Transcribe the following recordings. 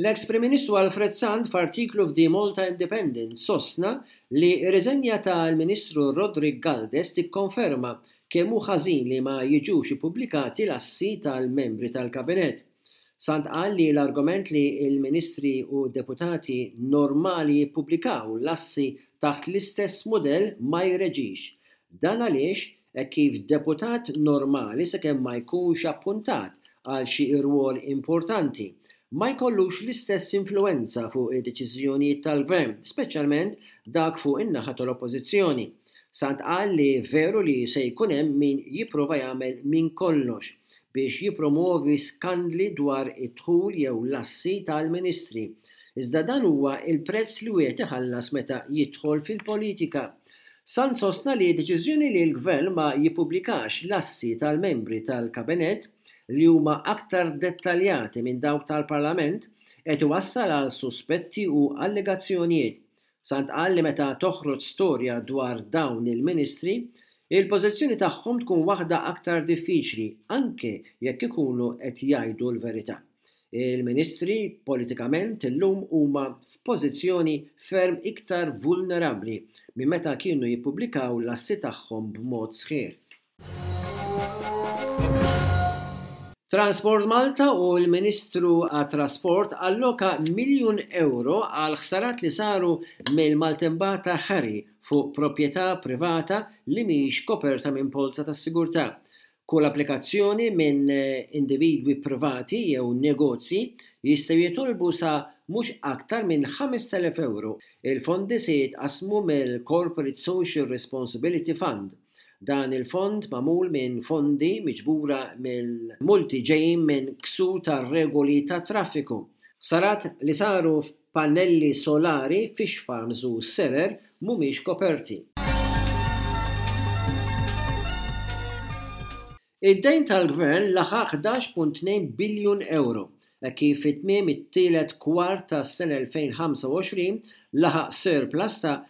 L-eks Prim Ministru Alfred Sant f'artiklu f'The Malta Independent sostna li r-riżenja tal-Ministru Roderick Galdes tikkonferma kemm hu ħażin li ma jiġux ippubblikati l-assi tal-membri tal-Kabinett. Sant qal li l-argument li l-Ministri u d-Deputati normali jippubblikaw l-assi taħt l-istess mudell ma jreġix. Dan għaliex hekk kif deputat normali sakemm ma jkunx appuntat għal xi rwol importanti, ma jkollux l-istess influwenza fuq id-deċiżjonijiet tal-Gvern, speċjalment dak fuq in-naħa tal-Oppożizzjoni. Sant qal li veru li se jkun hemm min jipprova jagħmel minn kollox biex jippromwovi skandli dwar id-dħul jew l-assi tal-Ministri, iżda dan huwa l-prezz li wieħed iħallas meta jidħol fil-politika. Sant sostna li d-deċiżjoni li l-Gvern ma jippubblikax l-assi tal-membri tal-Kabinett, li huma aktar dettaljati minn dawk tal-Parlament, qed iwassal għal suspetti u allegazzjonijiet. Sant qal li meta toħroġ storja dwar dawn il-Ministri, il-pożizzjoni tagħhom tkun waħda aktar diffiċli anke jekk ikunu qed jgħidu l-verità. Il-Ministri politikament illum huma f'pożizzjoni ferm iktar vulnerabbli minn meta kienu jippubblikaw l-assi tagħhom b'mod sħiħ. Transport Malta u l-Ministru għat-Trasport alloka miljun ewro għal ħsarat li saru mill-maltembata Harry fuq proprjetà privata li mhix koperta minn polza tas-sigurtà. Kull applikazzjoni minn individwi privati jew negozji jistgħu jitolbu sa mhux aktar minn 5,000 ewro. Il-fondi se jitqassmu mill-Corporate Social Responsibility Fund. Dan il-fond magħmul minn fondi miġbura mill-multi ġejjin minn ksur tar-regoli tat-traffiku. Ħsarat li saru f'pannelli solari, fish farms u serer mhumiex koperti. Id-dejn tal-Gvern laħaq 11.2 biljun ewro, hekk kif fi tmiem it-tielet kwart tas-sena 2025 laħaq surplus ta'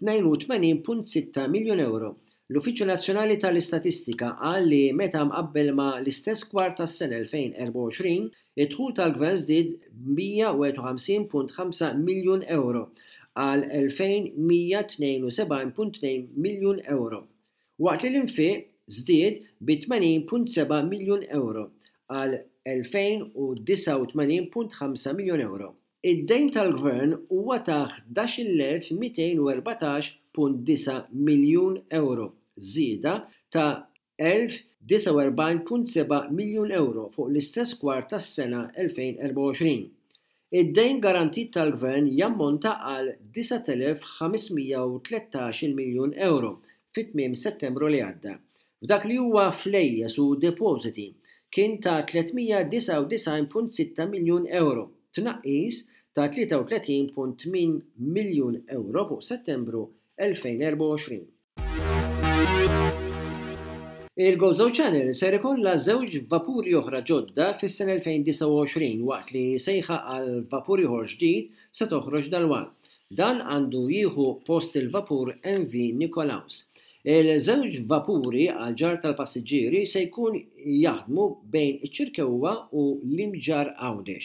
82.6 miljun ewro. L-Uffiċċju Nazzjonali tal-Istatistika qal li meta mqabbel ma' l-istess kwart tas-sena 2024, id-dħul tal-Gvern żdied b'151.5 miljun ewro għal 2,172.2 miljun ewro, waqt li l-infiq żdied bi 80.7 miljun ewro għal 2,089.5 miljun ewro. Id-dejn tal-Gvern huwa ta' 11,214.9 miljun ewro, żieda ta' 1,049.7 miljun ewro fuq l-istess kwart tas-sena 2024. Id-dejn garantit tal-Gvern jammonta għal 9,513-il miljun ewro fi tmiem Settembru li għadda. F'dak li huwa flejjes u depożiti, kien ta' 399.6 miljun ewro, tnaqqis ta' 33.8 miljun ewro fuq Settembru 2024. Il-Gozo Channel ser ikollha żewġ vapuri oħra ġodda fis-sena 2029 waqt li sejħa għal vapur ieħor ġdid se toħroġ dalwaqt. Dan għandu jieħu post il-vapur MV Nikolaus. Il-żewġ vapuri għall-ġarr tal-passiġġieri se jkun jaħdmu bejn iċ-Ċirkewwa u l-Imġarr Għawdex.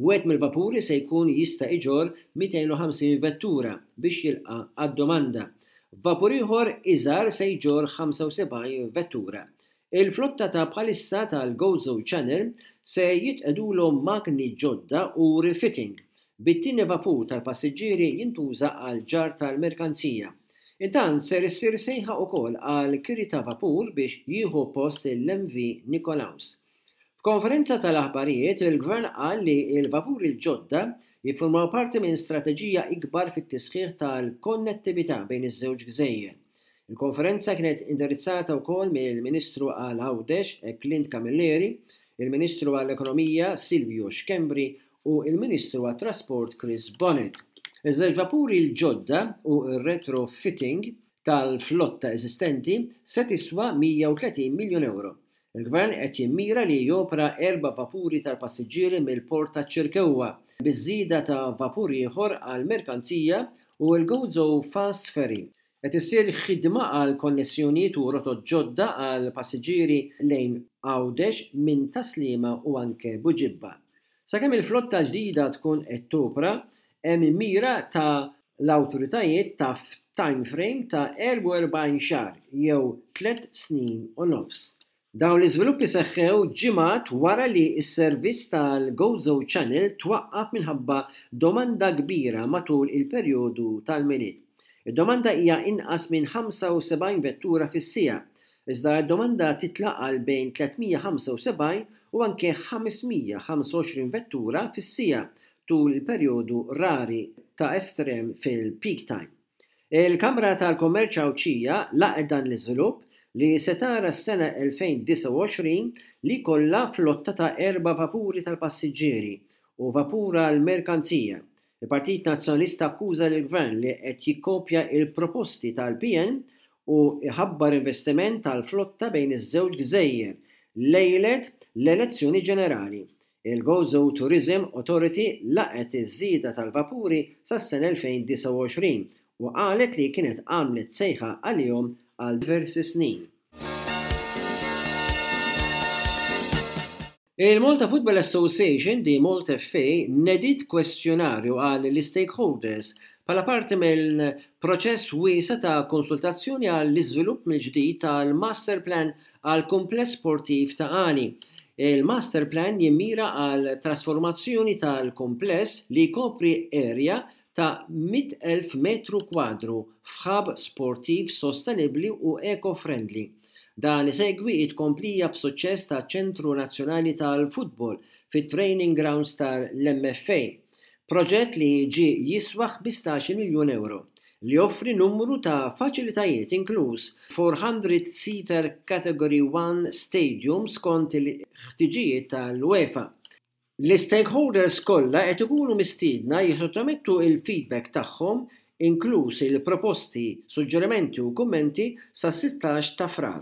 Wieħed mill-vapuri se jkun jista' iġorr 250 vettura biex jilqa' għad-domanda. Vapur ieħor iżgħar se jġorr 75 vettura. Il-flotta ta' bħalissa tal-Gozo Channel se jitqegħdulhom magni ġodda u refitting, bit-tieni vapur tal-passiġġieri jintuża għall-ġarr tal-merkanzija. Intant ser issir sejħa ukoll għal kiri ta' vapur biex jieħu post il-MV Nikolaus. F'konferenza tal-aħbarijiet, il-Gvern qal li l-vapuri l-ġodda jiffurmaw parti minn strateġija ikbar fit-tisħiħ tal-konnettività bejn iż-żewġ gżejjer. Il-konferenza kienet indirizzata wkoll mill-Ministru għal Għawdex, Clint Camilleri, il-Ministru għall-Ekonomija, Silvio Schembri u l-Ministru għat-Trasport Chris Bonett. Iż-żewġ vapuri l-ġodda u r-retrofitting tal-flotta eżistenti se tiswa 130 miljun ewro. Il-Gvern qed jimmira li jopera erba' vapuri tal-passiġġieri mill-Port taċ-Ċirkewwa, biż-żieda ta' vapur ieħor għall-merkanzija u l-Gozo Fast Ferry. Qed issir ħidma għal konnessjonijiet u rotot ġodda għall-passiġġieri lejn Għawdex minn Tas-Sliema u anke Buġibba. Sakemm il-flotta l-ġdida tkun qed topra, hemm mira ta' l-awtoritajiet ta' f'time frame ta' 44 xahar jew tlett snin u nofs. Dawn l-iżviluppi seħħew ġimgħat wara li s-servizz tal-Gozo Channel twaqqaf minħabba domanda kbira matul il-perjodu tal-Milied. Id-domanda hija inqas minn 75 vettura fis-siegħa, iżda d-domanda titla' għal bejn 375 u anke 525 vettura fis-siegħa tul il-perjodu rari ta' estrem fil-peak time. Il-Kamra tal-Kummerċ Għawdxija laqgħet dan l-iżvilupp li se tara s-sena 2029 li jkollha flotta ta' erba' vapuri tal-passiġġieri u vapur għall-merkanzija. Il-Partit Nazzjonalista akkuża lill-Gvern li qed jikkopja l-proposti tal-PN u jħabbar investiment għall-flotta bejn iż-żewġ gżejjer lejlet l-elezzjoni ġenerali. Il-Gozo Tourism Authority laqgħet iż-żieda tal-vapuri sas-sena 2029 u qalet li kienet għamlet sejħa għalihom għal diversi snin. Il-Malta Football Association, the Malta FA, nediet kwestjonarju għall-istakeholders bħala parti minn proċess wiesa' ta' konsultazzjoni għall-iżvilupp mill-ġdid tal-masterplan għall-kumpless sportiv Ta' Qali. Il-masterplan jimmira għal trasformazzjoni tal-kumpless li jkopri area ta' 100,000 metru kwadru f'hub sportiv sostenibbli u eco-friendly. Dan isegwi t-tkomplija b'suċċess taċ-Ċentru Nazzjonali tal-Futbol fit-training grounds tal-MFA, proġett li ġie jiswa 15-il miljun ewro, li joffri numru ta' faċilitajiet inkluż 400 seater Category One stadium skont il-ħtiġijiet tal-UEFA. L-istakeholders kollha qed ikunu mistiedna jissottomettu l-feedback tagħhom, inkluż il-proposti, suġġerimenti u kummenti, sas-16 ta' Frar.